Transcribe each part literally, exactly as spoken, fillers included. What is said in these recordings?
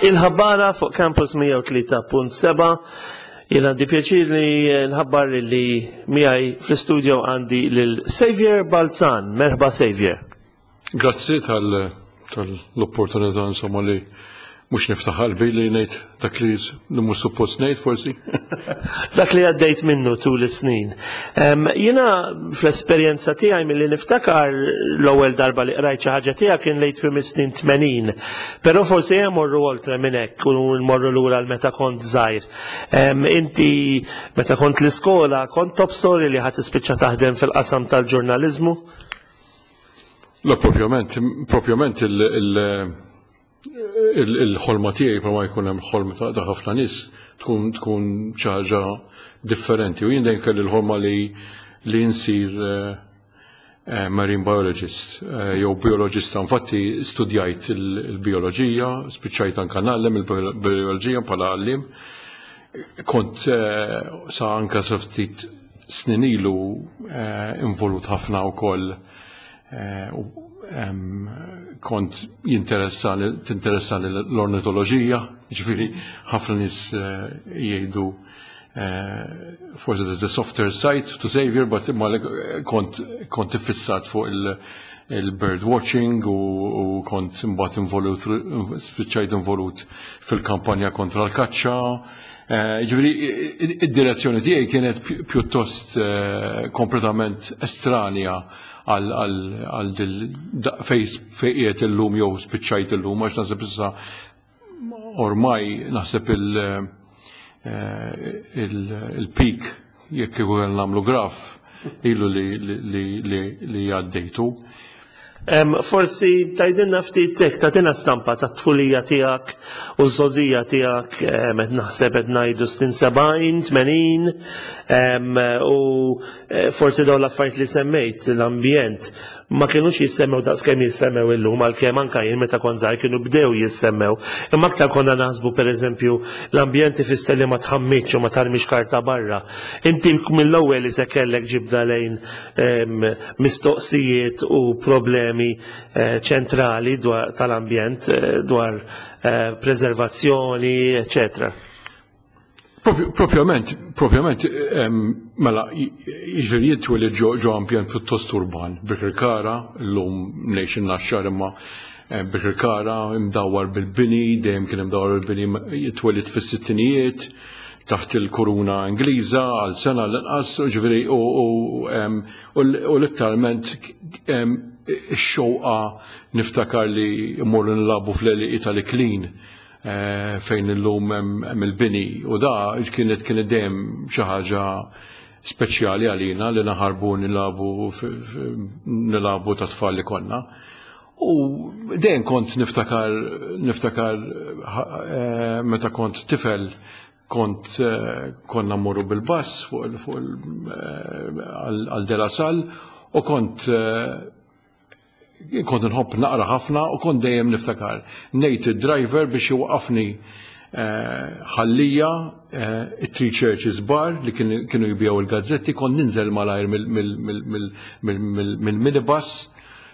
Il-ħabbara fuq Campus mija u tlieta punt seba'. Jien għandi pjaċir li nħabbar li miegħi fl-studio għandi lil Xavier Balzan. Merħba, Xavier. Grazzi tal-opportunità, insomma, li mhux niftaħ qalbi, li ngħid dak li li mhux suppost ngħid forsi. Dak li għaddejt minnu tul is-snin. Jiena fl-esperjenza tiegħi, milli niftakar, l-ewwel darba li qrajt xi ħaġa tiegħek kien lejn tmiem is-snin tmenin. Però forsi hemm morru oltre minn hekk u nmorru lura l meta kont żgħir. Inti meta kont l-iskola kont tobsor li ħa tispiċċa taħdem fil-qasam tal-ġurnaliżmu? La, propjament, propjament il-ħolma tiegħi, ma jkun hemm ħolma ta' ħafna nies, tkun tkun xi ħaġa differenti. U jien dejjem kelli l-ħolma li li nsir eh, eh, marine biologist eh, jew biologista. Infatti studjajt il-bioloġija, spiċċajt anka ngħallem il-bioloġija bħala għallim. Kont sa anka sa ftit snin ilu involut ħafna wkoll, kont jinteressani tinteressani l-ornitoloġija, ġifieri ħafna nies eh, jgħidu eh, forsi there's a softer side to Xavier, but ma kont kont iffissat fuq il-bird watching u kont imbagħad involut, spiċċajt involut fil-kampanja kontra l-kaċċa. Eh, ġifieri, id-direzzjoni tiegħi kienet pjuttost kompletament estranja għal fej qiegħed illum jew spiċċajt illum, għax naħseb issa ormai naħseb eh, il-peak, jekk ikun nagħmlu graf, ilu li għaddejtu. Em, Forsi tgħidilna ftit hekk, tagħtina stampa ta' tfulija tiegħek u żgħożija tiegħek, em, qed naħseb qed ngħidu snin sebgħin, tmenin, em, u eh, forsi dawn l-affarijiet li semmejt, l-ambjent, ma kienux jissemmew daqs kemm jissemmew illum, għalkemm anke jien meta kont żgħir kienu bdew jissemmew. Imma aktar konna naħsbu, pereżempju, l-ambjent ifisser li ma tħammitx u ma tarmix karta barra. Inti mill-ewwel li se kellek ġibda lejn em, mistoqsijiet u problemi eh, ċentrali dwar tal-ambjent, eh, dwar eh, preservazzjoni, eccetera. Propju- Propjament, propjament, em, mela, jiġifieri jien twelidt ġo ġo ambjent pjuttost urban, Birkirkara, llum ngħix in-Naxxar imma eh, Birkirkara imdawwar bil-bini, dejjem kien imdawwar bil-bini, twelidt fis-sittinijiet, taħt il-kuruna Ingliża għal sena l-inqas, ġifieri, u u, em, u l- u letteralment em, ix-xewqa niftakar li mmorru nilagħbu fl-għelieqi tal-Iklin eh, fejn illum hemm hemm il-bini u da kienet kienet dejjem xi ħaġa speċjali għalina li naħarbu nilagħbu f- f- nilagħbu ta' tfal li konna. U dejjem kont niftakar niftakar eh, meta kont tifel, kont eh, konna mmorru bil-bus fuq il- fuq il- eh, għal għal De La Salle u kont eh, kont nħobb naqra ħafna u kont dejjem niftakar ngħid id-driver biex iwaqafni eh, ħallija eh, it-Three Churches Bar li kienu kienu jbiegħu il-gazzetti, kont ninżel malajr mill-minibus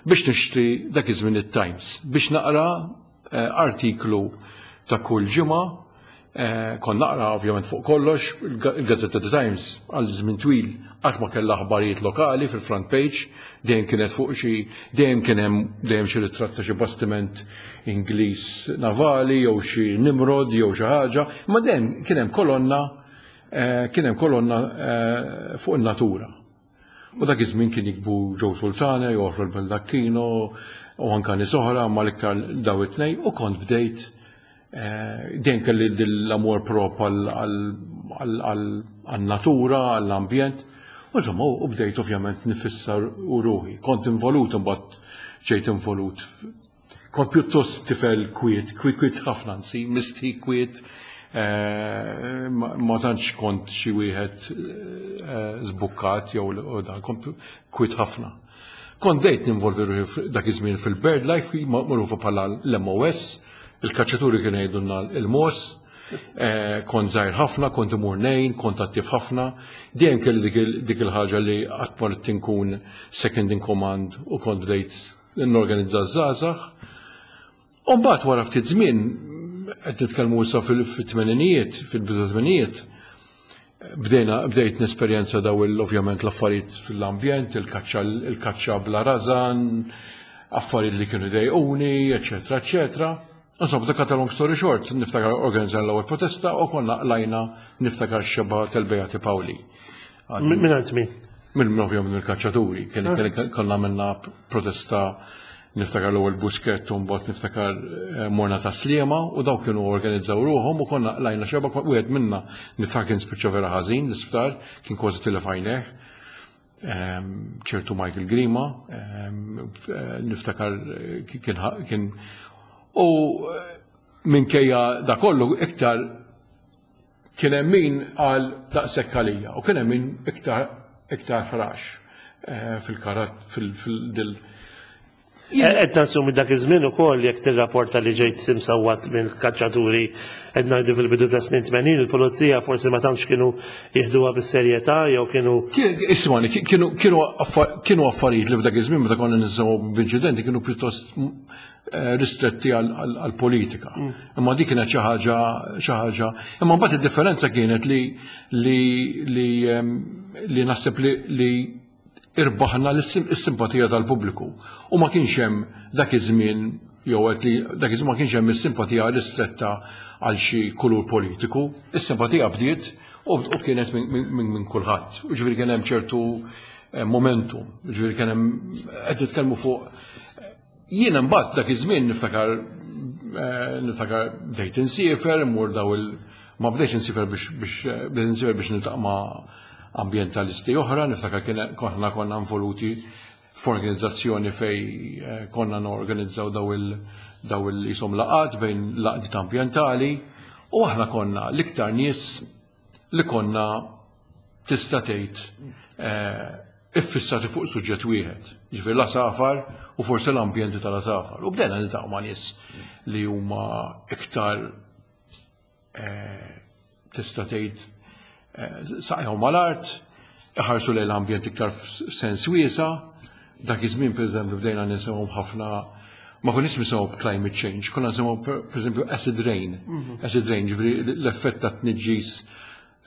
biex nixtri dak iż-żmien it-Times biex naqra eh, artiklu ta' kull ġimgħa. Eh, Kont naqra ovvjament fuq kollox, il-Gazzetta The Times għal żmien twil qatt ma kellha aħbarijiet lokali fil-front page, dejjem kienet fuq xi dejjem kien hemm dejjem xi ritratt ta' xi bastiment Ingliż navali jew xi Nimrod jew xi ħaġa, imma dejjem kien hemm kolonna eh, kien hemm kolonna eh, fuq in-natura. U dak iż-żmien kien jiktbu Joe Sultana, Joffre Baldacchino u anka nies oħra, ma l-iktar daw it-tnejn, u kont bdejt eh, dejjem kelli l-amor prop għal-natura, għall-ambjent. U insomma, u bdejt ovvjament nifissar u ruħi. Kont involut, imbagħad ġejt involut. Kont pjuttost tifel kwiet, kwiet kwiet ħafna nsi, misti kwiet. Eh, ma ma tantx kont xi wieħed eh, żbukkat jew u dan, kont kwiet ħafna. Kont bdejt ninvolvi ruħi dak iż-żmien fil-Bird Life, magħrufa bħala l-M O S, il-kaċċaturi kienu jgħidulna il-M O S, eh, kont żgħir ħafna, kont imur ngħin, kont attiv ħafna, dejjem kelli dik il- dik il-ħaġa li qatt ma ridt inkun second in command u kont bdejt norganizza żgħażagħ. U mbagħad wara ftit żmien Qed nitkellmu issa fil-tmeninijiet, fil-bidu tmeninijiet, bdejna bdejt nesperjenza daw ovvjament l-affarijiet fil-ambjent, il-kaċċa il-kaċċa bla rażan, affarijiet li kienu dejquni, eċetera, eċetera. Insomma, to cut a long story short, niftakar organizzajna l-ewwel protesta u konna qlajna, niftakar, xebgħa tal-Beati Pauli. Minn għand min? Minn ovvjament mill-kaċċaturi, kien konna minna protesta, niftakar l-ewwel Buskett u mbagħad niftakar eh, morna ta' Sliema u daw kienu organizzaw ruħhom u konna qlajna xebgħa. Wieħed minna, niftakar, kien spiċċa vera ħażin l-isptar, kien kważi tilef għajnejh. Ehm, ċertu Michael Grima, ehm, eh, niftakar eh, kien kien u minkejja da kollu iktar kien hemm min għal daqshekk għalija u kien hemm min iktar iktar ħrax fil-karat fil-dil. Qed nassumi dak iż-żmien ukoll, jekk tirrapporta li ġejt imsawwat minn kaċċaturi, qed ngħidu fil-bidu ta' snin tmenin, il-pulizija forsi ma tantx kienu jieħduha bis-serjetà jew kienu Ismani, kienu kienu kienu affarijiet li f'dak iż-żmien meta konna nisimgħu b'inċidenti kienu pjuttost eh, ristretti għal-politika. Mm. Imma dik kienet xi ħaġa xi ħaġa. Imma mbagħad id-differenza kienet li li li li naħseb li li irbaħna l-simpatija tal-pubbliku. U ma kienx hemm dak iż-żmien, jew qed li dak iż-żmien ma kienx hemm is-simpatija ristretta għal xi kulur politiku. Is-simpatija bdiet u kienet minn kulħadd. U ġifieri kien hemm ċertu eh, momentum, ġifieri kien hemm, qed nitkellmu fuq. Jiena mbagħad dak iż-żmien niftakar eh, niftakar bdejt insiefer, immur daw il ma bdejtx insiefer biex biex bdejt insiefer biex niltaqa' ma' ambientalisti oħra, niftakar konna konna involuti f'organizzazzjoni fej eh, konna norganizzaw daw il daw il jisom laqat bejn l-għaqdiet ambientali u aħna konna l-iktar nies li konna, tista' tgħid, eh, iffissati fuq suġġett wieħed, ġifier l-għasafar u forsi l-ambjenti tal-għasafar. U bdejna niltaqgħu ma' nies li huma iktar eh, tista' tgħid eh, saqajhom mal-art, iħarsu lejn l-ambjent iktar f'sens wiesa. Dak iż-żmien, pereżempju, bdejna nisimgħu ħafna, ma konniex nisimgħu climate change, konna nisimgħu, pereżempju, acid rain. Acid rain, ġifieri l-effett ta' tniġġis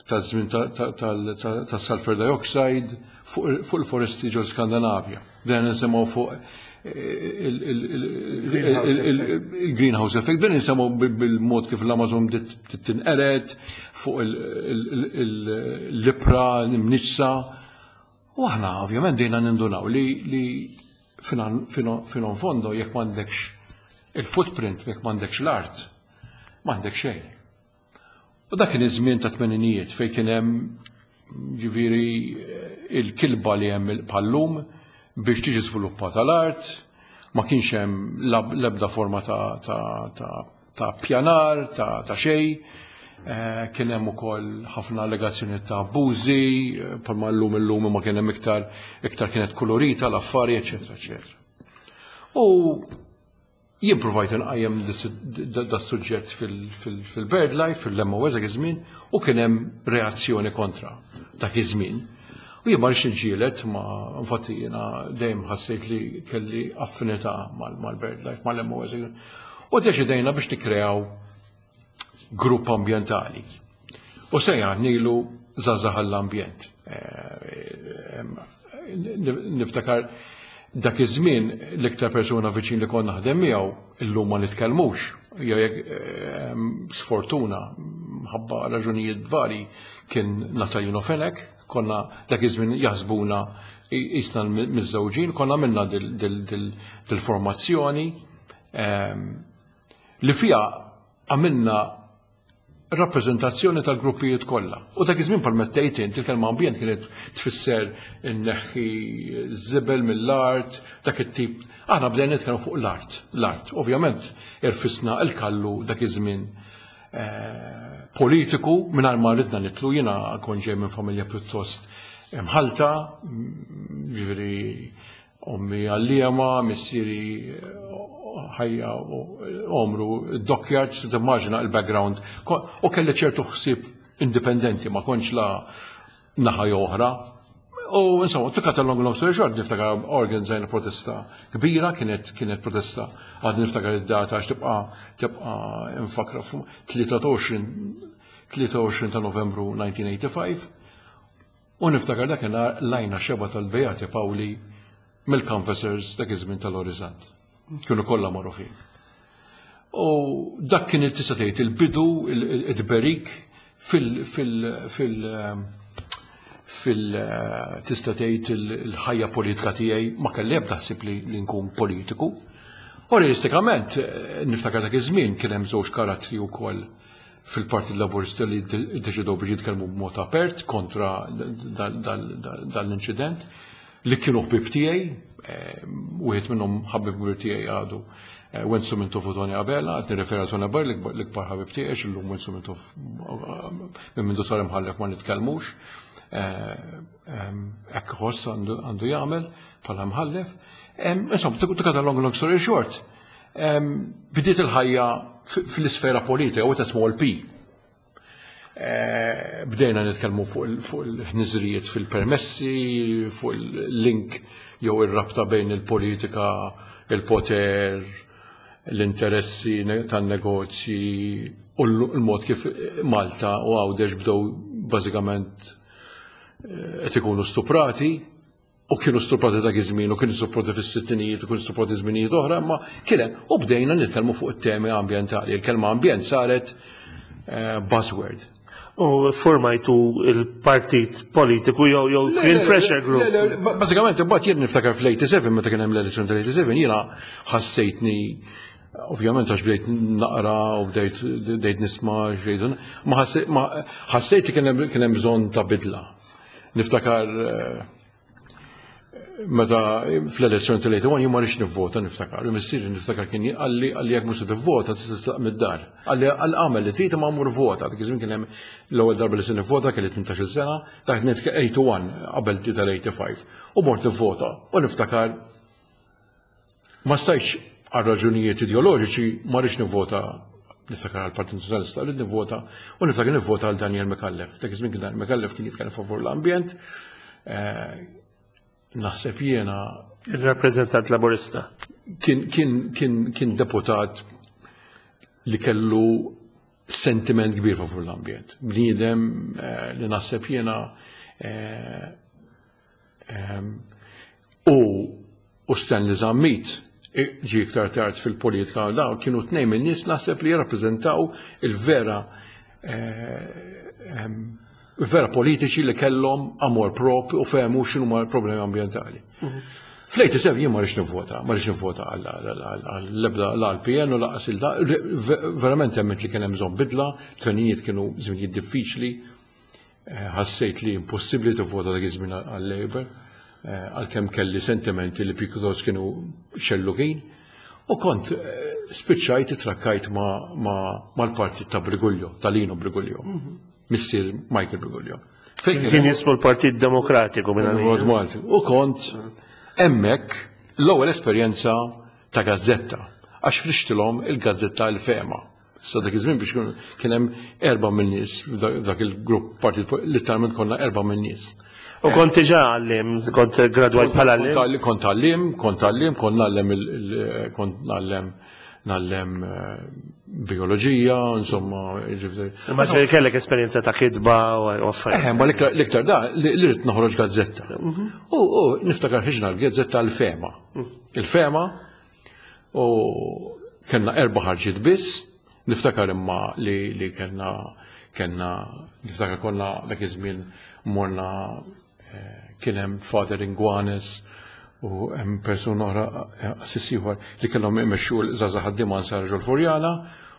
ta' żmien ta' sulfur dioxide fuq il-foresti ġol Skandinavja. Bdejna nisimgħu fuq il-greenhouse effect, bdejna nisimgħu bil-mod kif l-Amazon tinqered, fuq l-ibħra mniġġsa. U aħna ovvjament bdejna nindunaw li li fino fondo jekk m'għandekx il-footprint, jekk m'għandekx l-art, m'għandek xejn. U dak kien iż-żmien ta' tmeninijiet fejn kien hemm ġifieri il-kilba li hemm bħal-lum biex tiġi żviluppata l-art, ma kienx hemm l-ebda forma ta', ta, ta, ta' pjanar, ta', ta xejn. Eh, kien hemm ukoll ħafna allegazzjoni ta' abbużi, eh, bħalma llum illum ma kien hemm iktar iktar kienet kolorita l-affari, eċetera, eċetera. U jien provajt nqajjem da suġġett fil-BirdLife, fil-M O S dak iż-żmien, u kien hemm reazzjoni kontra dak iż-żmien. U jien ma rridx niġġieled, ma infatti jiena dejjem ħassejt li kelli affinità mal-BirdLife, mal-M O S. U deċidejna biex nikkreaw grupp ambientali. U sejjaħnielu Żgħażagħ għall-Ambjent. Eh, niftakar dak iż-żmien l-iktar persuna viċin li konna naħdem miegħu, illum ma nitkellmux. Jew jekk sfortuna ħabba raġunijiet vari, kien Natalino Fenech, konna dak iż-żmien jaħsbuna qisna miżżewġin, konna minna dil-formazzjoni li fija għamilna rappreżentazzjoni tal-gruppijiet kollha. U dak iż-żmien, bħal mettejt int, il-kelma ambjent kienet tfisser inneħħi żibel mill-art, dak it-tip. Aħna bdejna nitkellmu fuq l-art, l-art. Ovvjament irfisna il-kallu dak iż-żmien eh, politiku mingħajr ma ridna nidħlu. Jiena kont ġej minn familja pjuttost mħalta, ġifieri ommi għalliema, missieri ħajja omru dockyard, se timmaġina il-background. U kelli ċertu ħsieb indipendenti, ma kontx la naħa oħra. U insomma, to cut a long, long story short, niftakar organizzajna protesta kbira, kienet kienet protesta, għad niftakar id-data għax tibqa tibqa infakra tlieta u għoxrin ta' Novembru elf disa' mija u ħamsa u tmenin, u niftakar dakinhar lajna xebgħa tal-Beati Pawli mill-canvassers dak iż-żmien tal-Orizzont. Kienu kollha magħrufin. U dak kien il-tista' tgħid il-bidu, il-tberik fil- fil- fil- fil tista' tgħid il-ħajja politika tiegħi. Ma kelli ebda ħsieb li li nkun politiku. U realistikament niftakar dak iż-żmien kien hemm żewġ karattri wkoll fil-Partit Laburista li ddeċidew biex jitkellmu b'mod apert kontra dal-inċident li kienu ħbib tiegħi, wieħed minnhom ħabib kbir tiegħi għadu, Wenzu Mintoff u Tony Abela. Qed nirreferi Tony Abela, l-ikbar ħabib tiegħi, illum Wenzu Mintoff minn mindu sar imħallef ma nitkellmux. Hekk ħoss għandu jagħmel bħala mħallef. Insomma, to cut a long, long story short, bidiet il-ħajja fl-isfera politika, with a small p. Bdejna nitkellmu fuq il-ħniżrijiet fil-permessi, fuq il-link jew ir-rabta bejn il-politika, il-poter, l-interessi tan-negozji u l-mod kif Malta u Għawdex bdew bażikament qed ikunu stuprati, u kienu stuprati dak iż-żmien u kienu stuprati fis-sittinijiet u kienu stuprati żminijiet oħra, imma kien hemm u bdejna nitkellmu fuq it-temi ambjentali. Il-kelma ambjent saret buzzword. U formajtu il-partit politiku jew jew Green Pressure Group? Bażikament, imbagħad jien niftakar fl-tminja u sebgħin, meta kien hemm l-elezzjoni tal-tminja u sebgħin, jiena ħassejtni, ovvjament għax bdejt naqra u bdejt bdejt nisma' xejn, ma ħassejt kien hemm bżonn ta' bidla. Niftakar meta fl-elezzjoni tal-tminja u wieħed jien ma rridx nivvota, niftakar. Missieri niftakar kien qalli qalli jekk mhux se tivvota tista' titlaq mid-dar. Qalli għamel li trid ma mur vota. Dak iż-żmien kien hemm l-ewwel darba li se nivvota, kelli tmintax-il sena, dak tminja u tmenin qabel tal-tminja u ħamsin. U mort nivvota u niftakar ma stajtx, għal raġunijiet ideoloġiċi ma rridx nivvota, niftakar għal Partit Nazzjonalista rrid nivvota, u niftakar nivvota għal Daniel Micallef. Dak iż-żmien kien Daniel Micallef kien jitkellem favur l-ambjent. Naħseb jiena Il-rappreżentant Laburista. Kien, kien, kien, kien deputat li kellu sentiment kbir favur l-ambjent. Bniedem li naħseb jiena u u Stanley Zammit ġi iktar tard fil-politika, daw kienu tnejn minn nies naħseb li jirrappreżentaw il-vera vera politiċi li kellhom amor propju u fehmu x'inhu problemi ambjentali. Fl-tminja u sebgħin jien ma rridx nivvota, ma rridx nivvota għall-ebda l-P N u lanqas il verament emment li kien hemm bżonn bidla, tmeninijiet kienu żminijiet diffiċli, ħassejt li impossibbli tivvota dak iż-żmien għal-Labour, għalkemm kelli sentimenti li pjuttost kienu xellugin. U kont spiċċajt trakkajt mal-partit ta' Briguglio, ta' Lino Briguglio, missier Michael Briguglio. Kien jismu l-Partit Demokratiku minn Malti. U kont hemmhekk l-ewwel esperjenza ta' gazzetta, għax ħriġtilhom il-gazzetta Il-Fehma. Sa dak iż-żmien biex kien hemm erba' minn nies dak il-grupp partit, literalment konna erba' minn nies. U kont diġà għallim, kont gradwajt bħala għallim? Kont għallim, kont għallim, kont ngħallem, kont ngħallem ngħallem bioloġija, insomma. Ma ġej kellek esperjenza ta' kitba u affarijiet. Eh, ma l-iktar da, li rrid noħroġ gazzetta. U niftakar ħriġna l-gazzetta Il-Fehma. Il-Fehma, u kellna erba' ħarġiet biss, niftakar imma li li kellna kellna niftakar konna dak iż-żmien morna, kien hemm Father Inguanes u hemm persuna oħra, qassis ieħor, li kellhom imexxu l-żgħażagħ ħaddiema Nsara ġol-Furjana,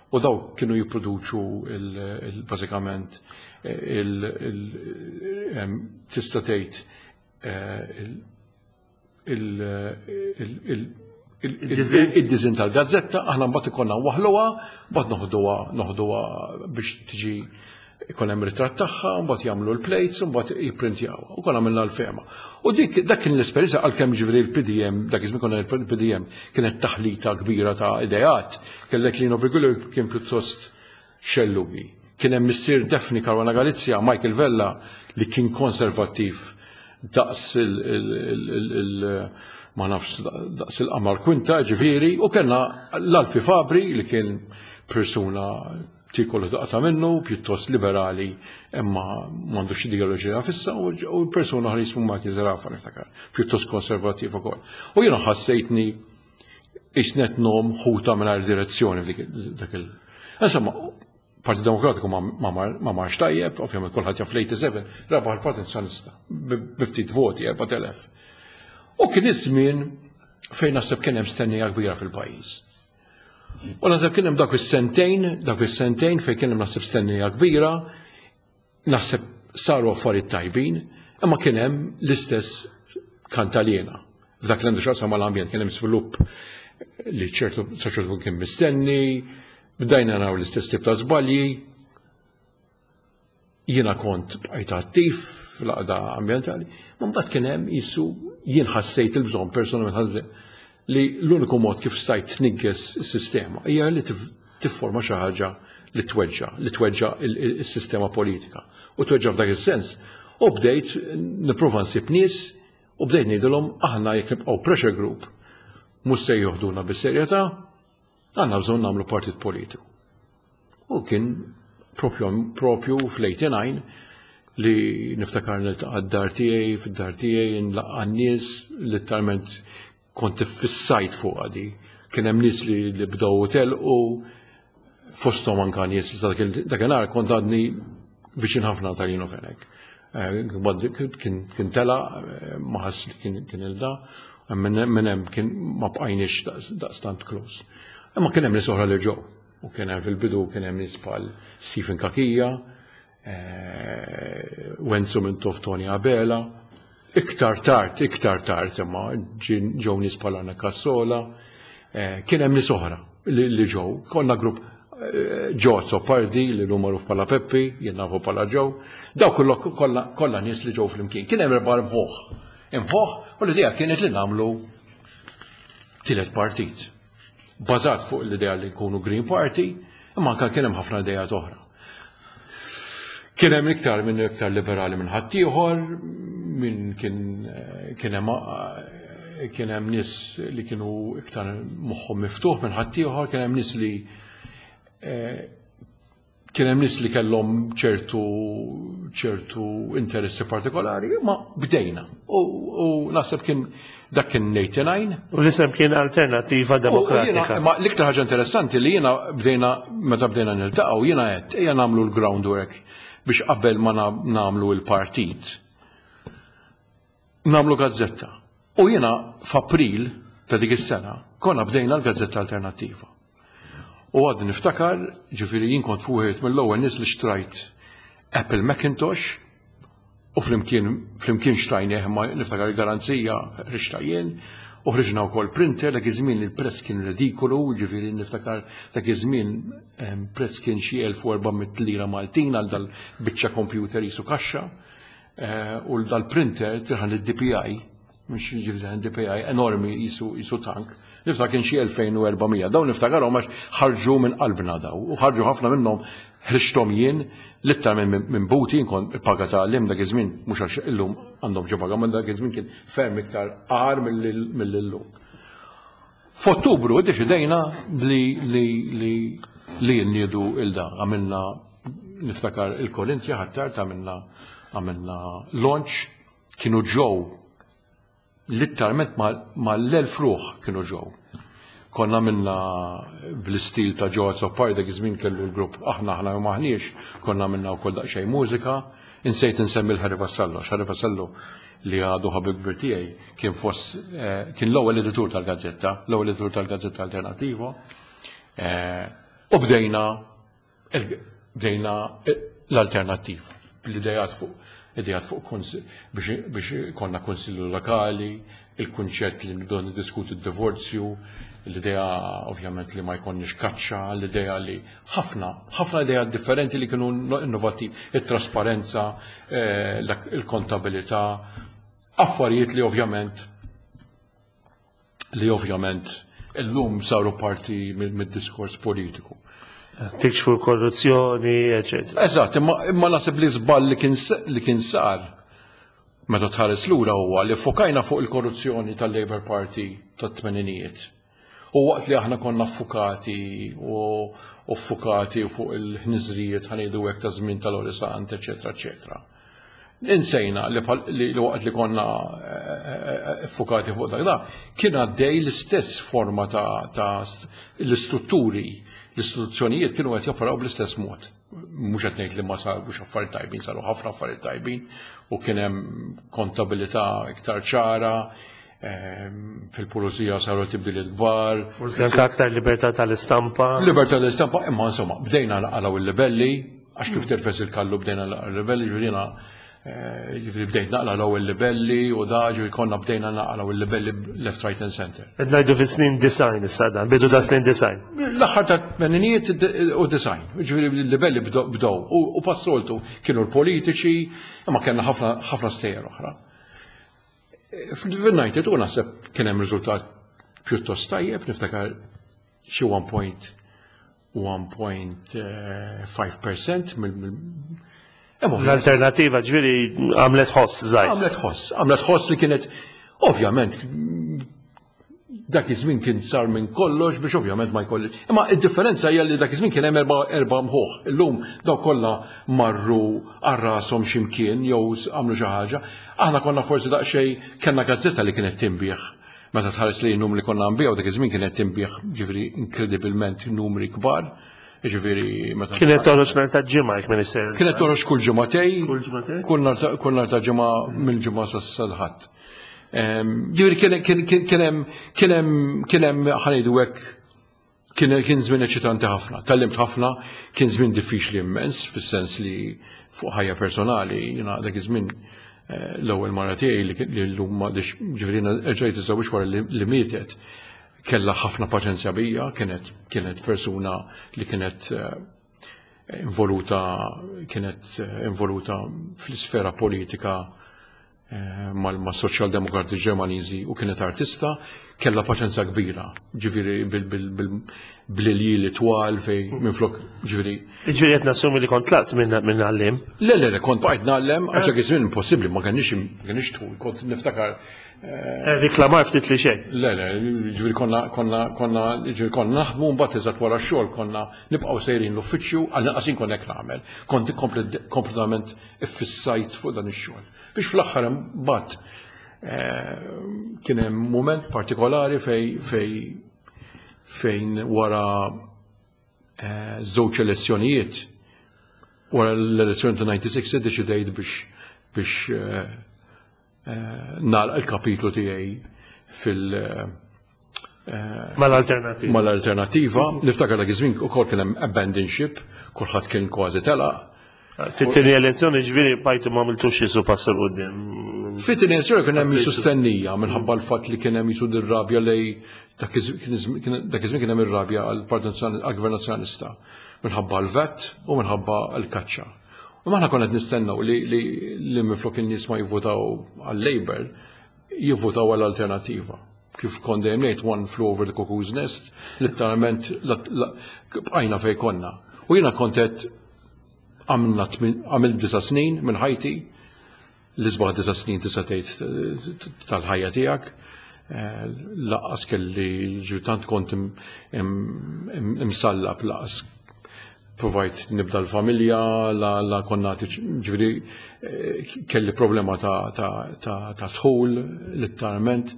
u daw kienu jipproduċu bażikament tista' tgħid id-design tal-gazzetta, aħna mbagħad ikollna waħluha, mbagħad noħduha noħduha biex tiġi ikun hemm ritratt tagħha, mbagħad jagħmlu l-plates, mbagħad jipprintjaw. U konna għamilna L-Fehma. U dik dak kien l-esperjenza, għalkemm ġifieri l-P D M, dak iż-żmien konna l-P D M kienet taħlita kbira ta' ideat, kellek Lino Briguglio kien pjuttost xellugi. Kien hemm missier Daphne Caruana Galizia, Michael Vella, li kien konservattiv. daqs il ma nafx daqs il-qamar kwinta ġifieri, u kellna l-Alfie Fabri li kien persuna tikollu taqta' minnu, pjuttost liberali, imma m'għandux ideoloġija fissa, u persuna oħra jismu Michael Zerafa niftakar, pjuttost konservattiv ukoll. U jiena ħassejtni isnet nom ħuta mingħajr direzzjoni f'dik dak il. Insomma, Partit Demokratiku ma marx tajjeb, ovvjament kulħadd jaf l-eighty-seven, rebaħ il-Partit Nazzjonalista bi ftit voti, erbat elef. U kien iż-żmien fejn naħseb kien hemm stennija kbira fil-pajjiż. U naħseb kien hemm dak is-sentejn, dak is-sentejn fejn kien hemm naħseb stennija kbira, naħseb saru affarijiet tajbin, imma kien hemm l-istess kantaliena. F'dak li għandu x'jaqsam mal-ambjent kien hemm svilupp li ċertu saċertu kien mistenni, bdejna naraw l-istess tip ta' żbalji. Jiena kont bqajt attiv fl-għaqda ambjentali, ma mbagħad kien hemm jisu jien ħassejt il-bżonn personalment li l-uniku mod kif stajt tnigges is-sistema hija li tifforma xi ħaġa li tweġġa, li tweġġa il-sistema politika. U tweġġa f'dak is-sens. U bdejt nipprova nsib nies u bdejt ngħidilhom aħna jekk nibqgħu pressure group mhux se joħduna bis-serjetà, għandna bżonn nagħmlu partit politiku. U kien propju, propju fl-eighty-nine li niftakar niltaqa' d-dar tiegħi, fid-dar tiegħi nlaqqa' n-nies, letteralment kont iffissajt fuq għadi. Kien hemm nies li, li bdew telqu, fosthom anka nies dakinhar kont għadni viċin ħafna ta' Lino Fenech. Eh, kien tela, eh, ma ħass li kien il-da, minn hemm kien ma bqajniex daqstant close. Imma kien hemm nies oħra li ġew. U kien hemm fil-bidu kien hemm nies bħal Stephen Cachia, eh, Wenzu Mintoff, Tony Abela, iktar tard, iktar tard, imma ġew nies bħal Anna Cassola, kien hemm nies oħra li ġew. Konna grupp, Joe Azzopardi li l magħruf bħala Peppi, jien nafu bħala Joe, daw kollha nies li ġew flimkien. Kien hemm erba' imħuħ. Imħuħ, u l-idea kienet li nagħmlu tielet partit. Bażat fuq l-idea li nkunu Green Party, imma anke kien hemm ħafna idejat oħra. Kien hemm iktar minn iktar liberali minn ħaddieħor, minn kien kien hemm kien hemm nies li kienu iktar moħħhom miftuħ minn ħaddieħor, kien hemm nies li kien hemm nies li kellhom ċertu ċertu interessi partikolari, ma bdejna. U naħseb kien dak kien eighty-nine. U l-isem kien Alternativa Demokratika. Ma l-iktar ħaġa interessanti li jiena bdejna, meta bdejna niltaqgħu, jiena qed ejja nagħmlu l-groundwork biex qabel ma nagħmlu l-partit nagħmlu gazzetta. U jiena f'April ta' dik is-sena konna bdejna l-Gazzetta Alternattiva. U għad niftakar, ġifieri jien kont fuħet mill-ewwel nies li xtrajt Apple Macintosh u flimkien flimkien xtrajnieh, ma niftakar il-garanzija ħriġta jien u ħriġna wkoll printer. Dak iż-żmien il-prezz kien ridikolu, ġifieri niftakar dak iż-żmien prezz kien xi elf u erba' mitt lira Maltin għal dal-biċċa computer jisu kaxxa eh, u dal-printer tirħan id-D P I, mhux ġifieri D P I enormi jisu jisu tank. Niftakar kien xi elfejn u erba' mija. Dawn niftakarhom għax ħarġu minn qalbna daw. U ħarġu ħafna minnhom ħriġthom jien littar minn minn buti nkun il-paga ta' għalliem dak iż-żmien, mhux għax illum għandhom ġo paga, ma dak iż-żmien kien ferm iktar agħar mill-illum. F'Ottubru iddeċidejna li li li li nniedu il-da. Għamilna, niftakar, il-Korintja ħattar għamilna għamilna launch, kienu ġew letteralment ma l-elf ruħ kienu ġew. Konna minna bl-istil ta' Joe Azzopardi, dak iż-żmien kellu l-grupp Aħna Aħna u Maħniex, konna minna wkoll daqsxejn mużika. Insejt insemmi l-Harry Vassallo. Harry Vassallo li għadu ħabib kbir tiegħi kien fost eh, kien l-ewwel editur tal-gazzetta, l-ewwel editur tal-Gazzetta Alternattiva. Eh, u bdejna bdejna l-Alternattiva bl-idejat fuq idejat fuq biex konna konsillu lokali, il-kunċett li nibdew niddiskutu d-divorzju, l-idea ovvjament li ma jkollniex kaċċa, l-idea li ħafna, ħafna idea differenti li kienu innovativi, il-trasparenza, eh, il-kontabilità, affarijiet li ovvjament li ovvjament illum saru parti mid-diskors politiku. Tikxfu l-korruzzjoni, eccetera. Eżatt, imma, imma naħseb li żball li kien li kien sar Meta tħares lura huwa li fokajna fuq il-korruzzjoni tal-Labour Party tat-tmeninijiet. U waqt li aħna konna ffukati u ffukati fuq il-ħniżrijiet, ħa ngħidu hekk, ta' żmien tal-Lorry Sant, eċetera, eċetera. Insejna li waqt li konna ffukati fuq dak da, kien għaddej l-istess forma ta' l-istrutturi, l-istituzzjonijiet kienu qed joperaw bl-istess mod. Mhux qed ngħid li ma sarux affarijiet tajbin, saru ħafna affarijiet tajbin u kien hemm kontabilità iktar ċara, fil-pulizija saru tibdiliet kbar. Forsi anke aktar libertà tal-istampa. Libertà tal-istampa, imma insomma, bdejna naqalgħu il-libelli, għax kif tirfes il-kallu bdejna naqalgħu il-libelli, ġurina ġifieri bdejt naqla' l-ewwel libelli u da ġifieri konna bdejna naqalgħu il-libelli left, right and center. Qed ngħidu fi snin disgħin issa dan, bidu ta' snin disgħin. L-aħħar ta' tmeninijiet u disgħin, ġifieri l-libelli bdew u passoltu kienu l-politiċi, imma kellna ħafna ħafna stejjer oħra. Fil-disgħa u naħseb kien hemm riżultat pjuttost tajjeb, niftakar xi one point one point five percent mill L-Alternativa ġifieri għamlet ħoss żgħir. Għamlet ħoss, għamlet ħoss li kienet, ovvjament, dak iż-żmien kien sar minn kollox biex ovvjament ma jkolli. Imma id-differenza hija li dak iż-żmien kien hemm erba' erba' mħuħ. Illum daw kollha marru għal rashom x'imkien jew għamlu xi ħaġa. Aħna konna forsi daqsxejn kellna gazzetta li kienet tinbiegħ. Meta tħares li numri konna nbigħu dak iż-żmien kienet tinbiegħ, ġifieri, inkredibilment numri kbar. Ġifieri meta Kienet toħroġ nhar ta' Ġimgħa, jekk minister. Kienet toħroġ kull ġimagħtejn. Kull ġimagħtejn? Kull nhar ta' Ġimgħa, mill-Ġimgħa sal-Ħadd. Ġifieri kien kien hemm kien hemm kien hemm ħa ngħidu hekk, kien kien żmien eċitanti ħafna, tgħallimt ħafna, kien żmien diffiċli immens, fis-sens li fuq ħajja personali, jiena dak iż-żmien eh, l-ewwel mara tiegħi li llum m'għadix, ġifieri erġajt iżżewwiġt wara li mietet, kellha ħafna paċenzja bija, kienet kienet persuna li kienet eh, involuta kienet eh, involuta fl-isfera politika mal-Soċjal-Demokrati Ġermaniżi u kienet artista, kellha paċenzja kbira, ġifieri bl-iljieli twal fej minflok, ġifieri. Ġifieri qed nassumi li kont tlaqt minn għalliem. Le, le, le, kont bqajt ngħallem, għax dak iż-żmien impossibbli, ma kenniex ma kenniex tul, kont niftakar. Riklamar ftit li xejn. Le, le, ġifieri konna konna konna ġifieri konna naħdmu, mbagħad eżatt wara x-xogħol konna nibqgħu sejrin l-uffiċċju, għal inqas kont hekk nagħmel. Kont kompletament iffissajt fuq dan ix-xogħol. Biex fl-aħħar mbagħad kien hemm moment partikolari fej fej fejn wara żewġ elezzjonijiet, wara l-elezzjoni ta' disgħa u disgħin, iddeċidejt biex biex nagħlaq il-kapitlu tiegħi fil- Mal-Alternativa. Mal-Alternativa. Niftakar dak iż-żmien ukoll kien hemm abandon ship, kulħadd kien kważi telaq. Fit-tieni elezzjoni ġifieri bajtu ma għamiltux jisu pass 'il quddiem. Fit-tieni elezzjoni kien hemm jisu stennija minħabba l-fatt li kien hemm jisu dir-rabja lej dak iż-żmien, kien hemm ir-rabja għall-Partit għall-Gvern Nazzjonalista minħabba l-VAT u minħabba l-kaċċa. U aħna konna qed nistennew li li li minflok in-nies ma jivvotaw għal-Labour, jivvotaw għall-Alternativa. Kif kont dejjem ngħid, one flew over the cuckoo's nest, letteralment bqajna fej konna. U jiena kont qed għamilna għamil disa' snin minn ħajti, l-isbaħ disa' snin tista' tgħid tal-ħajja tiegħek. Lanqas kelli ġifieri tant kont imsallab, lanqas provajt nibda l-familja, la, la konna ġifieri kelli problema ta' ta' dħul, letteralment.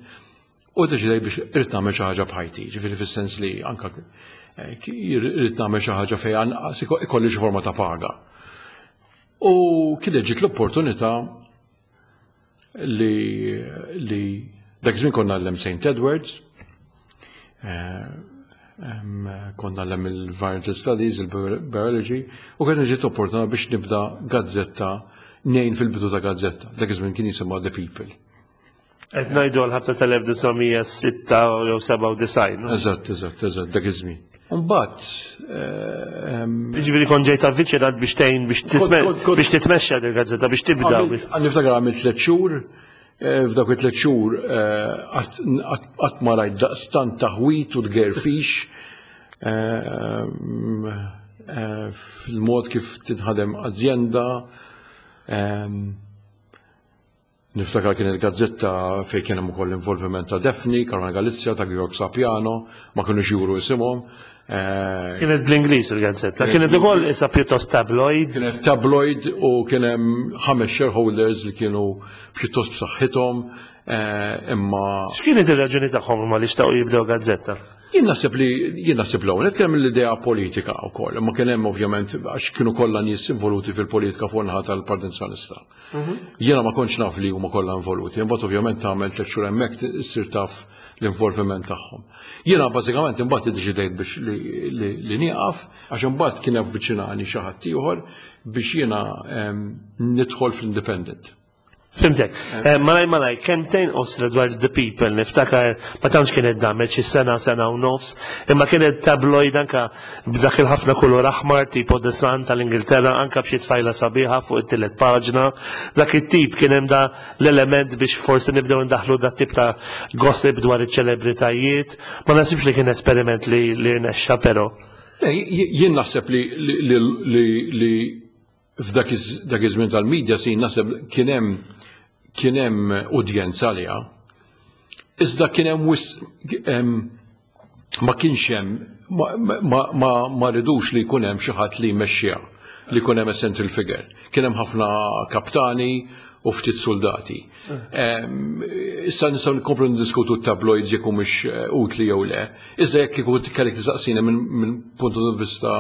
U deċidej biex irrid nagħmel xi ħaġa b'ħajti, ġifieri fis-sens li anka irrid nagħmel xi ħaġa fejn anqas ikolli xi forma ta' paga. U kienet ġiet l-opportunità li li dak iż-żmien konna ngħallem Saint Edwards, konna ngħallem il-Environmental Studies, il-Biology, u kienet ġiet l-opportunità biex nibda gazzetta, ngħin fil-bidu ta' gazzetta. Dak iż-żmien kien jisimha The People. Qed ngħidu għal ħabta tal-elf disa' mija sitta jew sebgħa u disgħin. Eżatt, eżatt, eżatt, dak iż-żmien. Mbagħad Ġifieri kont ġejt avviċinat biex tgħin biex biex titmexxa il gazzetta biex tibda. Niftakar għamilt tliet xhur, f'dawk it-tliet xhur qatt ma rajt daqstant taħwit u tgerfix fil-mod kif tinħadem azjenda. Niftakar kienet gazzetta fejn kien hemm ukoll involviment ta' Daphne, Caruana Galizia, ta' Georg Sapiano, ma kinux juru isimhom. Eh, kienet bl-Ingliż il-gazzetta, kienet ukoll issa pjuttost tabloid. Kienet tabloid u kien hemm ħames shareholders li kienu pjuttost b'saħħithom, eh, imma. X'kienet ir-raġuni tagħhom ma li xtaqu jibdew gazzetta? Jien naħseb li jien naħseb l-ewwel kien hemm l-idea politika wkoll, imma kien hemm ovvjament għax kienu kollha nies involuti fil-politika fuq naħa tal-Partit Nazzjonalista. Mhm. Jiena ma kontx naf li huma kollha involuti, imbagħad ovvjament tagħmel tliet xhur hemmhekk issir taf l-involviment tagħhom. Jiena bażikament imbagħad iddeċidejt biex li nieqaf, għax imbagħad kien avviċinani xi ħadd ieħor biex jiena nidħol fl-Independent. Fhimtek. Eh, malaj malaj, kelmtejn qosra dwar The People, niftakar ma tantx kienet damet xi sena, sena u nofs, imma kienet tabloid anka b'dak il-ħafna kulur aħmar tipo The Sun tal-Ingilterra, anka b'xi tfajla sabiħa fuq it-tielet paġna. Dak it-tip kien hemm da l-element biex forsi nibdew ndaħlu dat tip ta' gossip dwar iċ-ċelebritajiet. Ma nasibx li kien esperiment li li rnexxa però. Jien naħseb li li f'dak iż-żmien tal-media sin naħseb kien hemm kien hemm udjenza għaliha. Iżda kien hemm ma kienx hemm ma ridux li jkun hemm xi ħadd li jmexxiha, li jkun hemm central figure. Kien hemm ħafna kaptani u ftit soldati. Issa nistgħu nkomplu ndiskutu tabloids jekk humiex eh, utli jew le. Iżda jekk kieku kellek tistaqsini minn punt di vista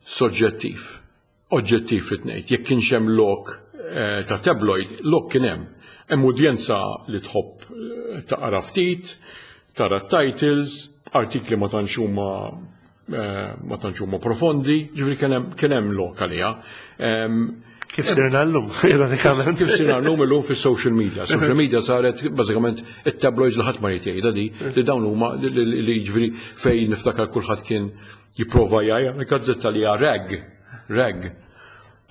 soġġettiv, oġġettiv li tnejt, jekk kienx hemm lok eh, ta' tabloid, lok kien hemm. Hemm udjenza li tħobb eh, taqra ftit, tara titles, artikli ma tantx huma eh, ma tantx huma profondi, ġifieri kien hemm lok għaliha. Kif sirna llum, ironikament. Kif sirna llum illum fis-social media. Social media saret bażikament it-tabloids li ħadd ma jrid jgħidha di li dawn huma li ġifieri fejn niftakar kulħadd kien jipprova jgħid gazzetta li hija rag, rag.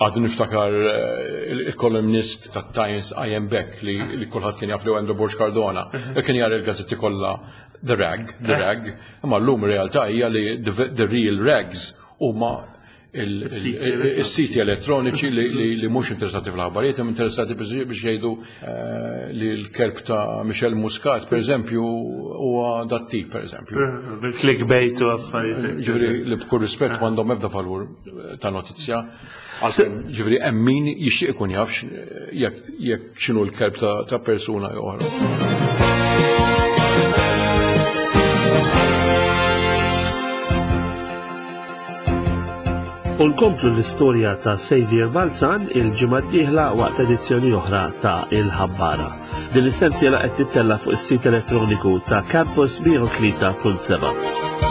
Għad niftakar eh, il-kolumnist ta' Times I M Beck li, li kulħadd kien jaf li Andrew Borg Cardona. E kien jara il-gazzetti kollha the rag, the rag. Imma llum realtà hija li the, the real rags huma il-siti elettroniċi li mhux interessati fl-aħbarijiet, hemm interessati biex jgħidu eh, li l-kelb ta' Michelle Muscat, per eżempju, huwa dat-tip, per eżempju. Bil-clickbait u affarijiet. Ġifieri li b'kull rispett m'għandhom ebda valur ta' notizja. Ġifieri hemm min jixtieq ikun jafx jekk x'inhu l-kelb ta' persuna jew oħra. U nkomplu l-istorja ta' Saviour Balzan il-ġimgħa d-dieħla waqt edizzjoni oħra ta' Il-Ħabbara. Din is-sensiela qed tittella fuq is-sit elettroniku ta' Campus mija u tlieta punt seba'.